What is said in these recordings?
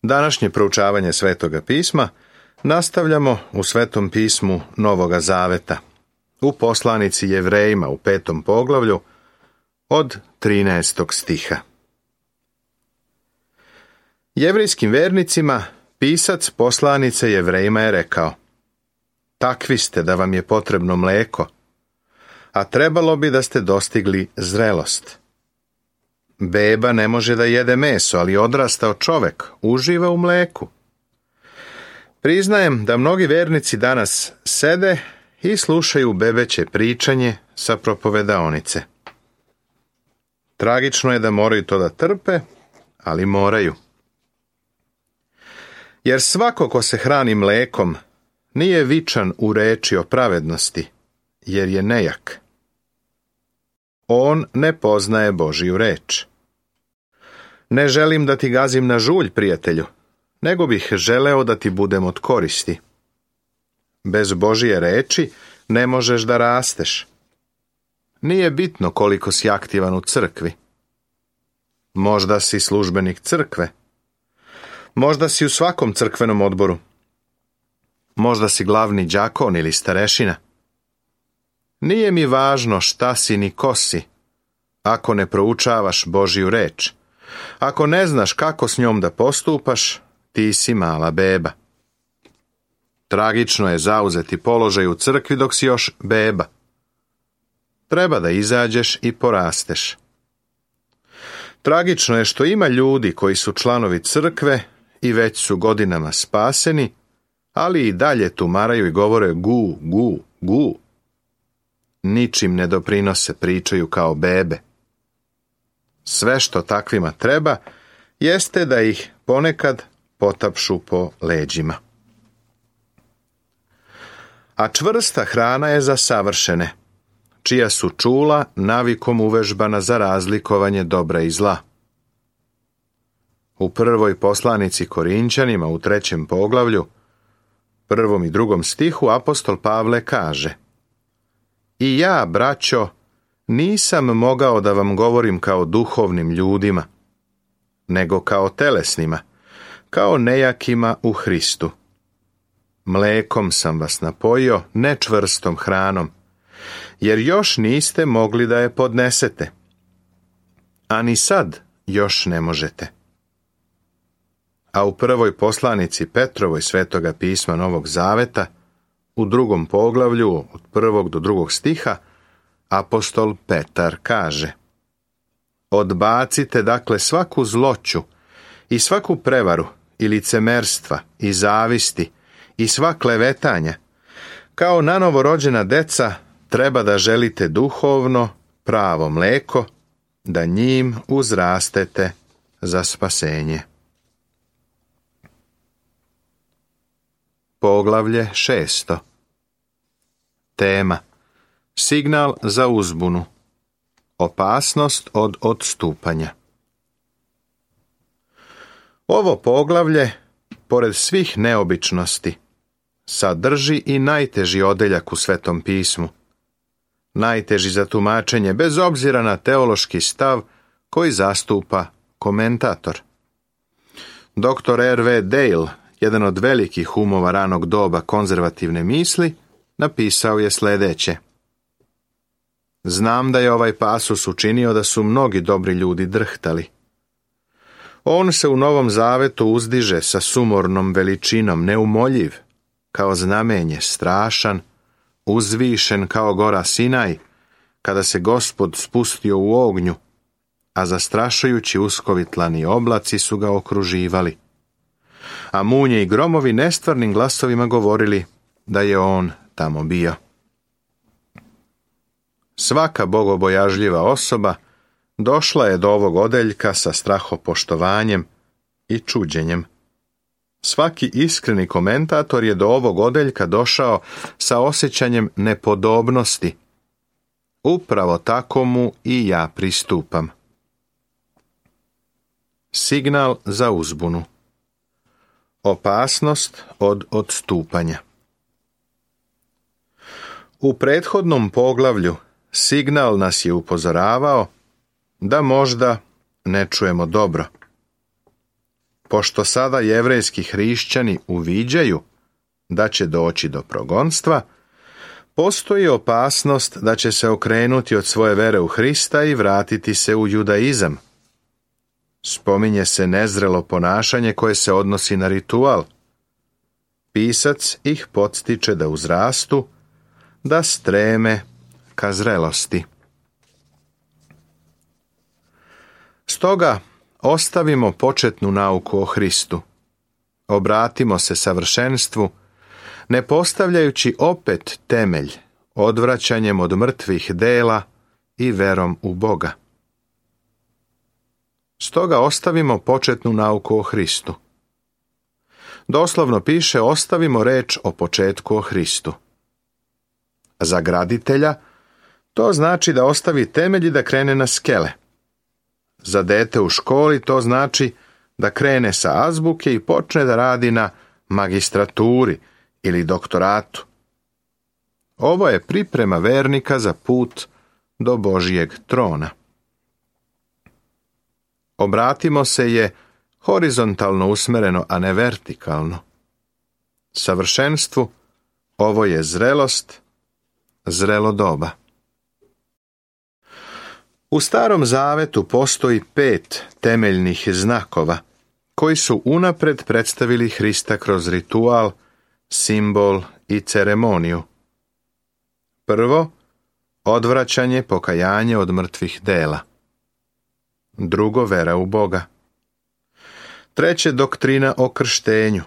Današnje proučavanje Svetoga pisma nastavljamo u Svetom pismu Novoga Zaveta, u poslanici Jevrejima u 5. poglavlju od 13. stiha. Jevrejskim vernicima pisac poslanice Jevrejima je rekao: takvi ste da vam je potrebno mleko, a trebalo bi da ste dostigli zrelost. Beba ne može da jede meso, ali odrastao čovek uživa u mleku. Priznajem da mnogi vernici danas sede i slušaju bebeće pričanje sa propovedaonice. Tragično je da moraju to da trpe, ali moraju. Jer svako ko se hrani mlekom nije vičan u reči o pravednosti, jer je nejak. On ne poznaje Božiju reč. Ne želim da ti gazim na žulj, prijatelju, nego bih želeo da ti budem od koristi. Bez Božije reči ne možeš da rasteš. Nije bitno koliko si aktivan u crkvi. Možda si službenik crkve. Možda si u svakom crkvenom odboru. Možda si glavni đakon ili starešina. Nije mi važno šta si ni ko si, ako ne proučavaš Božju reč. Ako ne znaš kako s njom da postupaš, ti si mala beba. Tragično je zauzeti položaj u crkvi dok si još beba. Treba da izađeš i porasteš. Tragično je što ima ljudi koji su članovi crkve i već su godinama spaseni, ali i dalje tumaraju i govore gu, gu, gu. Ničim ne doprinose, pričaju kao bebe. Sve što takvima treba jeste da ih ponekad potapšu po leđima. A čvrsta hrana je za savršene, čija su čula navikom uvežbana za razlikovanje dobra i zla. U prvoj poslanici Korinćanima u 3. poglavlju, 1. i 2. stihu apostol Pavle kaže: i ja, braćo, nisam mogao da vam govorim kao duhovnim ljudima, nego kao telesnima, kao nejakima u Hristu. Mlekom sam vas napojio, ne čvrstom hranom, jer još niste mogli da je podnesete, a ni sad još ne možete. A u prvoj poslanici Petrovoj Svetoga pisma Novog Zaveta, u 2. poglavlju, od 1. do 2. stiha, apostol Petar kaže: odbacite dakle svaku zloću i svaku prevaru i licemerstva i zavisti i sva klevetanja. Kao nanovorođena deca treba da želite duhovno, pravo mleko, da njim uzrastete za spasenje. Poglavlje 6. Tema: signal za uzbunu. Opasnost od odstupanja. Ovo poglavlje, pored svih neobičnosti, sadrži i najteži odeljak u Svetom pismu. Najteži za tumačenje, bez obzira na teološki stav koji zastupa komentator. Dr. R.V. Dale, jedan od velikih umova ranog doba konzervativne misli, napisao je sljedeće: znam da je ovaj pasus učinio da su mnogi dobri ljudi drhtali. On se u Novom Zavetu uzdiže sa sumornom veličinom, neumoljiv, kao znamenje, strašan, uzvišen kao gora Sinaj, kada se Gospod spustio u ognju, a zastrašujući uskovitlani oblaci su ga okruživali. A munje i gromovi nestvarnim glasovima govorili da je on tamo bio. Svaka bogobojažljiva osoba došla je do ovog odeljka sa strahopoštovanjem i čuđenjem. Svaki iskreni komentator je do ovog odeljka došao sa osjećanjem nepodobnosti. Upravo tako mu i ja pristupam. Signal za uzbunu. Opasnost od odstupanja. U prethodnom poglavlju signal nas je upozoravao da možda ne čujemo dobro. pošto sada jevrejski hrišćani uviđaju da će doći do progonstva, postoji opasnost da će se okrenuti od svoje vere u Hrista i vratiti se u judaizam. Spominje se nezrelo ponašanje koje se odnosi na ritual. Pisac ih podstiče da uzrastu, da streme ka zrelosti. Stoga ostavimo početnu nauku o Hristu. Obratimo se savršenstvu, ne postavljajući opet temelj odvraćanjem od mrtvih dela i verom u Boga. Stoga ostavimo početnu nauku o Hristu. Doslovno piše ostavimo reč o početku o Hristu. Za graditelja to znači da ostavi temelj i da krene na skele. Za dete u školi to znači da krene sa azbuke i počne da radi na magistraturi ili doktoratu. Ovo je priprema vernika za put do Božijeg trona. Obratimo se je horizontalno usmereno, a ne vertikalno. Savršenstvu ovo je zrelost, zrelo doba. U Starom Zavetu postoji 5 temeljnih znakova koji su unapred predstavili Hrista kroz ritual, simbol i ceremoniju. Prvo, odvraćanje, pokajanje od mrtvih dela. Drugo, vera u Boga. Treće, doktrina o krštenju.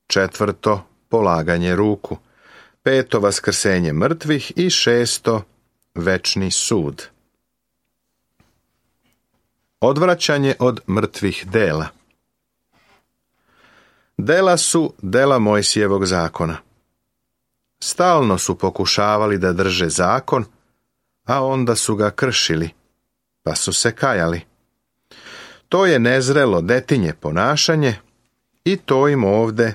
Četvrto, polaganje ruku. Peto, vaskrsenje mrtvih i šesto, večni sud. Odvraćanje od mrtvih dela. Dela su dela Mojsijevog zakona. Stalno su pokušavali da drže zakon, a onda su ga kršili, pa su se kajali. To je nezrelo detinje ponašanje i to im ovde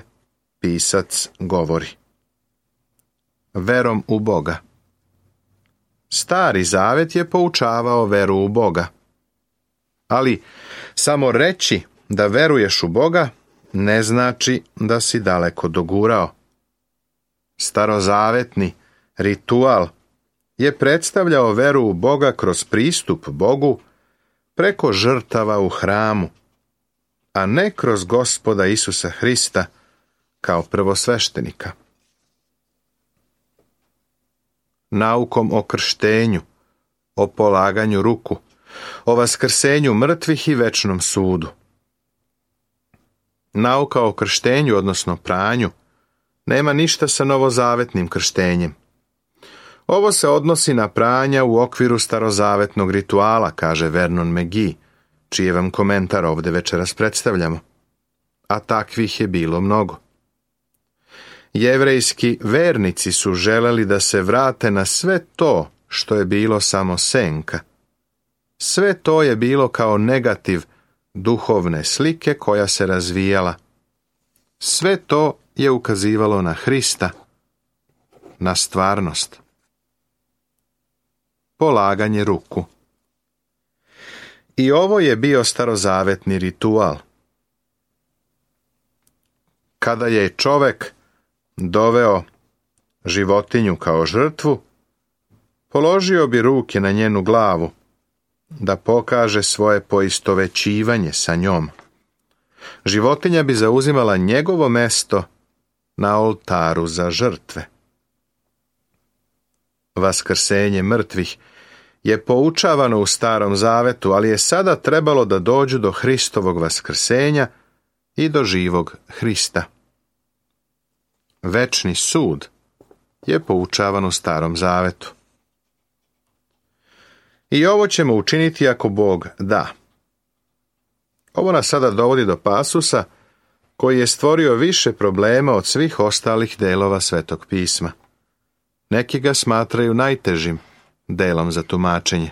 pisac govori. Verom u Boga. Stari Zavet je poučavao veru u Boga. Ali samo reći da veruješ u Boga ne znači da si daleko dogurao. Starozavetni ritual je predstavljao veru u Boga kroz pristup Bogu preko žrtava u hramu, a ne kroz Gospoda Isusa Hrista kao prvosveštenika. Naukom o krštenju, o polaganju ruku, o vaskrsenju mrtvih i večnom sudu. Nauka o krštenju, odnosno pranju, nema ništa sa novozavetnim krštenjem. Ovo se odnosi na pranja u okviru starozavetnog rituala, kaže Vernon McGee, čiji vam komentar ovdje večeras predstavljamo. A takvih je bilo mnogo. Jevrejski vernici su želeli da se vrate na sve to što je bilo samo senka. Sve to je bilo kao negativ duhovne slike koja se razvijala. Sve to je ukazivalo na Hrista, na stvarnost. Polaganje ruku. I ovo je bio starozavetni ritual. Kada je čovek doveo životinju kao žrtvu, položio bi ruke na njenu glavu, da pokaže svoje poistovećivanje sa njom. Životinja bi zauzimala njegovo mesto na oltaru za žrtve. Vaskrsenje mrtvih je poučavano u Starom Zavetu, ali je sada trebalo da dođu do Hristovog vaskrsenja i do živog Hrista. Večni sud je poučavan u Starom Zavetu. I ovo ćemo učiniti ako Bog da. Ovo nas sada dovodi do pasusa koji je stvorio više problema od svih ostalih delova Svetog pisma. Neki ga smatraju najtežim delom za tumačenje.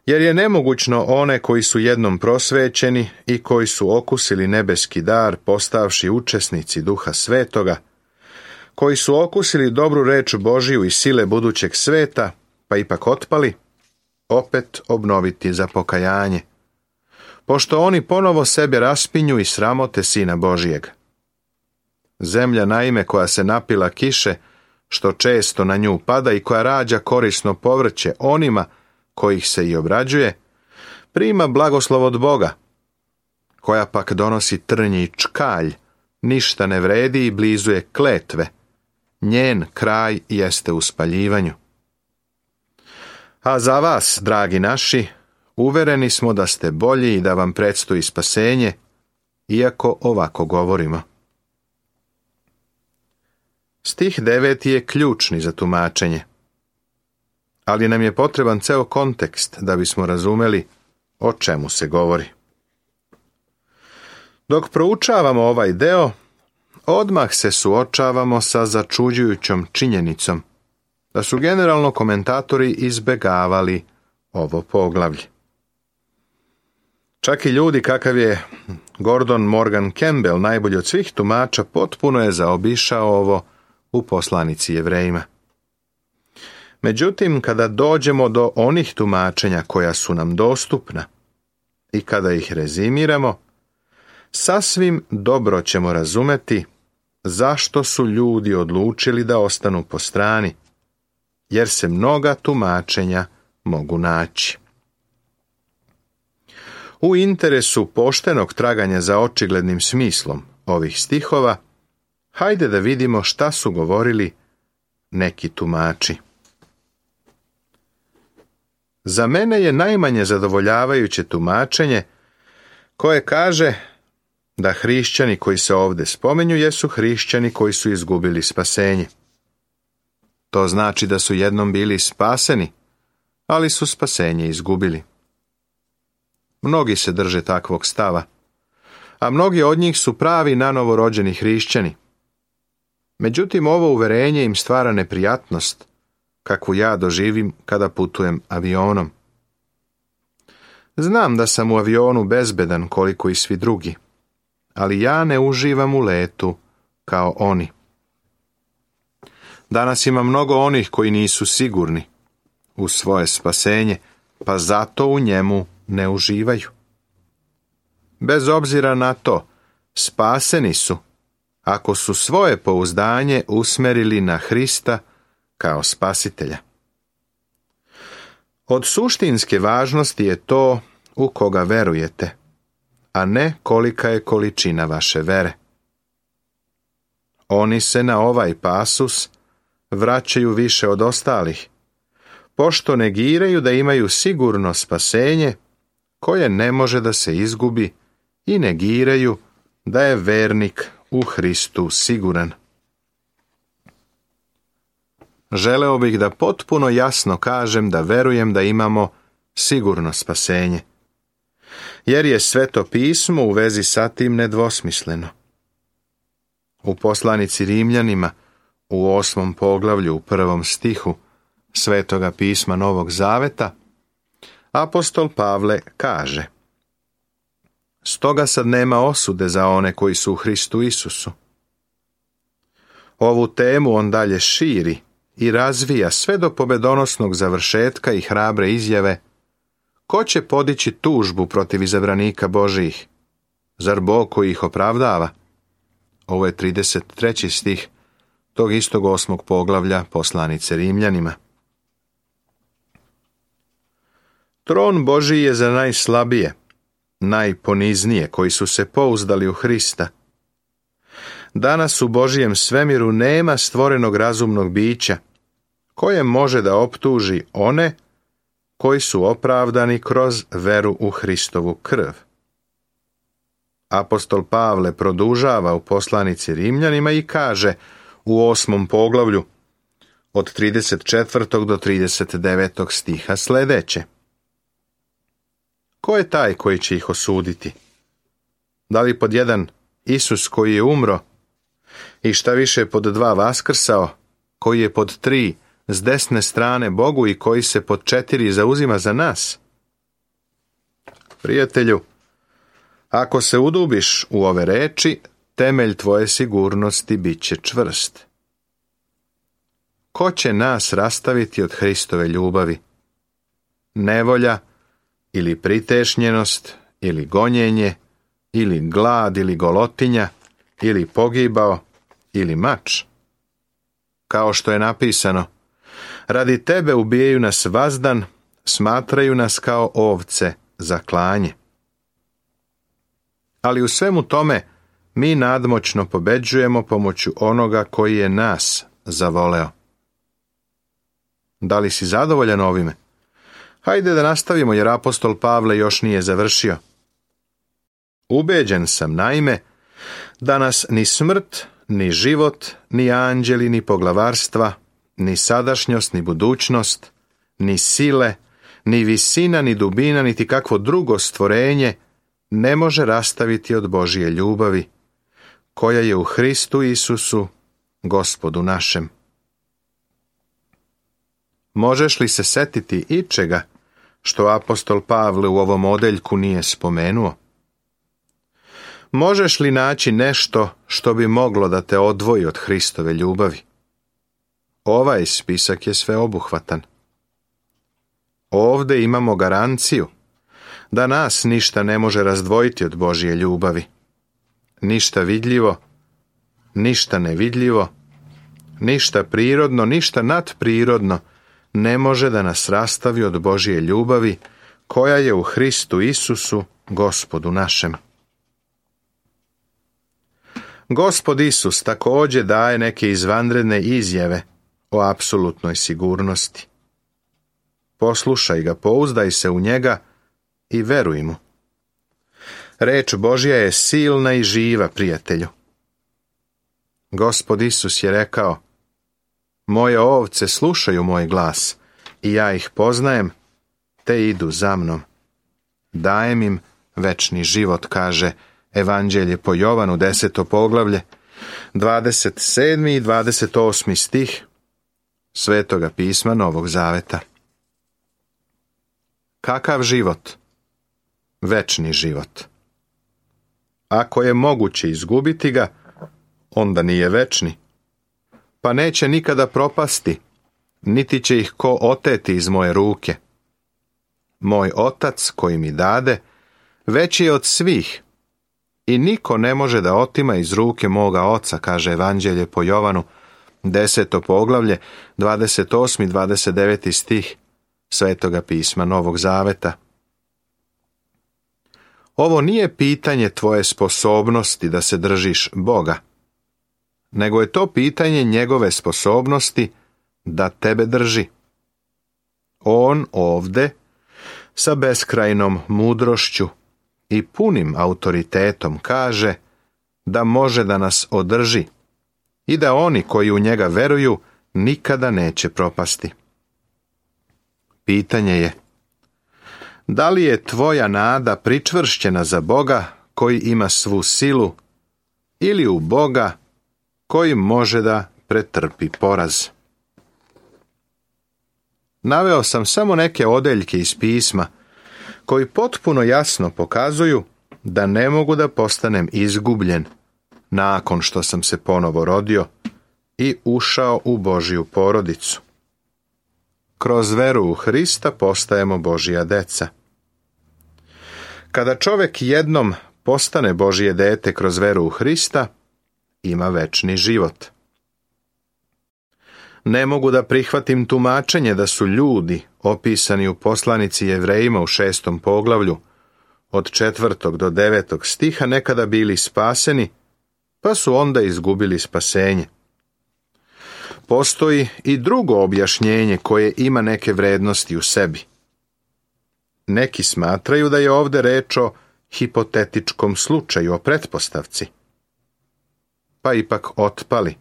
Jer je nemogućno one koji su jednom prosvećeni i koji su okusili nebeski dar, postavši učesnici Duha Svetoga, koji su okusili dobru reč Božiju i sile budućeg sveta, pa ipak otpali, opet obnoviti za pokajanje. pošto oni ponovo sebe raspinju i sramote Sina Božijeg. Zemlja naime koja se napila kiše, što često na nju pada i koja rađa korisno povrće onima kojih se i obrađuje, prima blagoslov od Boga, koja pak donosi trnje i čkalj, ništa ne vredi i blizu je kletve, njen kraj jeste u spaljivanju. A za vas, dragi naši, uvereni smo da ste bolji i da vam predstoji spasenje, iako ovako govorimo. Stih 9 je ključni za tumačenje, ali nam je potreban ceo kontekst da bismo razumeli o čemu se govori. Dok proučavamo ovaj deo, odmah se suočavamo sa začuđujućom činjenicom da su generalno komentatori izbegavali ovo poglavlje. Čak i ljudi kakav je Gordon Morgan Campbell, najbolji od svih tumača, potpuno je zaobišao ovo u poslanici Jevrejima. Međutim, kada dođemo do onih tumačenja koja su nam dostupna i kada ih rezimiramo, sasvim dobro ćemo razumeti zašto su ljudi odlučili da ostanu po strani, jer se mnoga tumačenja mogu naći. U interesu poštenog traganja za očiglednim smislom ovih stihova, hajde da vidimo šta su govorili neki tumači. Za mene je najmanje zadovoljavajuće tumačenje koje kaže da hrišćani koji se ovdje spominju jesu hrišćani koji su izgubili spasenje. To znači da su jednom bili spaseni, ali su spasenje izgubili. Mnogi se drže takvog stava, a mnogi od njih su pravi nanovo rođeni hrišćani. Međutim, ovo uverenje im stvara neprijatnost, kakvu ja doživim kada putujem avionom. Znam da sam u avionu bezbedan koliko i svi drugi, ali ja ne uživam u letu kao oni. Danas ima mnogo onih koji nisu sigurni u svoje spasenje, pa zato u njemu ne uživaju. Bez obzira na to, spaseni su ako su svoje pouzdanje usmerili na Hrista kao spasitelja. Od suštinske važnosti je to u koga verujete, a ne kolika je količina vaše vere. Oni se na ovaj pasus vraćaju više od ostalih, pošto negiraju da imaju sigurno spasenje koje ne može da se izgubi i negiraju da je vernik u Hristu siguran. Želeo bih da potpuno jasno kažem da verujem da imamo sigurno spasenje, jer je Sveto pismo u vezi sa tim nedvosmisleno. U poslanici Rimljanima, u 8. poglavlju, u 1. stihu Svetoga pisma Novog Zaveta, apostol Pavle kaže: Stoga sad nema osude za one koji su u Hristu Isusu. Ovu temu on dalje širi i razvija sve do pobedonosnog završetka i hrabre izjave: Ko će podići tužbu protiv izabranika Božijih? Zar Bog koji ih opravdava? Ovo je 33. stih tog istog 8. poglavlja poslanice Rimljanima. Tron Božiji je za najslabije, najponiznije koji su se pouzdali u Hrista. Danas u Božijem svemiru nema stvorenog razumnog bića koje može da optuži one koji su opravdani kroz veru u Hristovu krv. Apostol Pavle produžava u poslanici Rimljanima i kaže u 8. poglavlju od 34. do 39. stiha sljedeće: Ko je taj koji će ih osuditi? Da li pod 1 Isus koji je umro i šta više pod 2 vaskrsao, koji je pod 3 s desne strane Bogu i koji se pod 4 zauzima za nas? Prijatelju, ako se udubiš u ove reči, temelj tvoje sigurnosti bit će čvrst. Ko će nas rastaviti od Hristove ljubavi? Nevolja ili pritešnjenost ili gonjenje, ili glad, ili golotinja, ili pogibao, ili mač. Kao što je napisano, radi tebe ubijaju nas vazdan, smatraju nas kao ovce za klanje. Ali u svemu tome mi nadmoćno pobeđujemo pomoću onoga koji je nas zavoleo. Da li si zadovoljan ovime? Hajde da nastavimo jer apostol Pavle još nije završio. Ubeđen sam naime da nas ni smrt, ni život, ni anđeli, ni poglavarstva, ni sadašnjost, ni budućnost, ni sile, ni visina, ni dubina, niti kakvo drugo stvorenje ne može rastaviti od Božje ljubavi, koja je u Hristu Isusu, Gospodu našem. Možeš li se setiti ičega što apostol Pavle u ovom odeljku nije spomenuo? Možeš li naći nešto što bi moglo da te odvoji od Hristove ljubavi? Ovaj spisak je sveobuhvatan. Ovde imamo garanciju da nas ništa ne može razdvojiti od Božje ljubavi. Ništa vidljivo, ništa nevidljivo, ništa prirodno, ništa nadprirodno ne može da nas rastavi od Božje ljubavi koja je u Hristu Isusu, Gospodu našem. Gospod Isus također daje neke izvanredne izjave o apsolutnoj sigurnosti. Poslušaj ga, pouzdaj se u njega i veruj mu. Reč Božja je silna i živa, prijatelju. Gospod Isus je rekao, moje ovce slušaju moj glas i ja ih poznajem, te idu za mnom. Dajem im večni život, kaže Evanđelje po Jovanu, 10. poglavlje, 27. i 28. stih Svetoga pisma Novog Zaveta. Kakav život? Večni život. Ako je moguće izgubiti ga, onda nije večni, pa neće nikada propasti, niti će ih ko oteti iz moje ruke. Moj Otac koji mi dade, veći je od svih, i niko ne može da otima iz ruke moga Oca, kaže Evanđelje po Jovanu, 10. poglavlje, 28. i 29. stih Svetoga pisma Novog Zaveta. Ovo nije pitanje tvoje sposobnosti da se držiš Boga, nego je to pitanje njegove sposobnosti da tebe drži. On ovde, sa beskrajnom mudrošću i punim autoritetom, kaže da može da nas održi i da oni koji u njega veruju nikada neće propasti. Pitanje je, da li je tvoja nada pričvršćena za Boga koji ima svu silu ili u Boga koji može da pretrpi poraz? Naveo sam samo neke odeljke iz pisma koji potpuno jasno pokazuju da ne mogu da postanem izgubljen nakon što sam se ponovo rodio i ušao u Božju porodicu. Kroz veru u Hrista postajemo Božja deca. Kada čovjek jednom postane Božje dete kroz veru u Hrista, ima večni život. Ne mogu da prihvatim tumačenje da su ljudi, opisani u poslanici Jevrejima u 6. poglavlju, od 4. do 9. stiha nekada bili spaseni, pa su onda izgubili spasenje. Postoji i drugo objašnjenje koje ima neke vrednosti u sebi. Neki smatraju da je ovde reč o hipotetičkom slučaju, o pretpostavci, pa ipak otpali.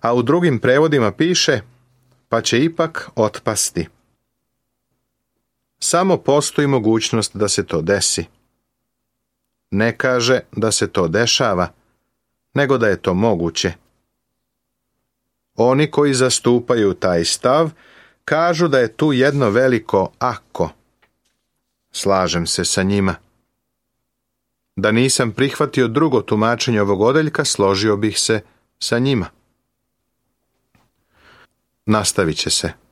A u drugim prevodima piše, pa će ipak otpasti. Samo postoji mogućnost da se to desi. Ne kaže da se to dešava, nego da je to moguće. Oni koji zastupaju taj stav kažu da je tu jedno veliko ako. Slažem se sa njima. Da nisam prihvatio drugo tumačenje ovog odeljka, složio bih se sa njima. Nastavit će se.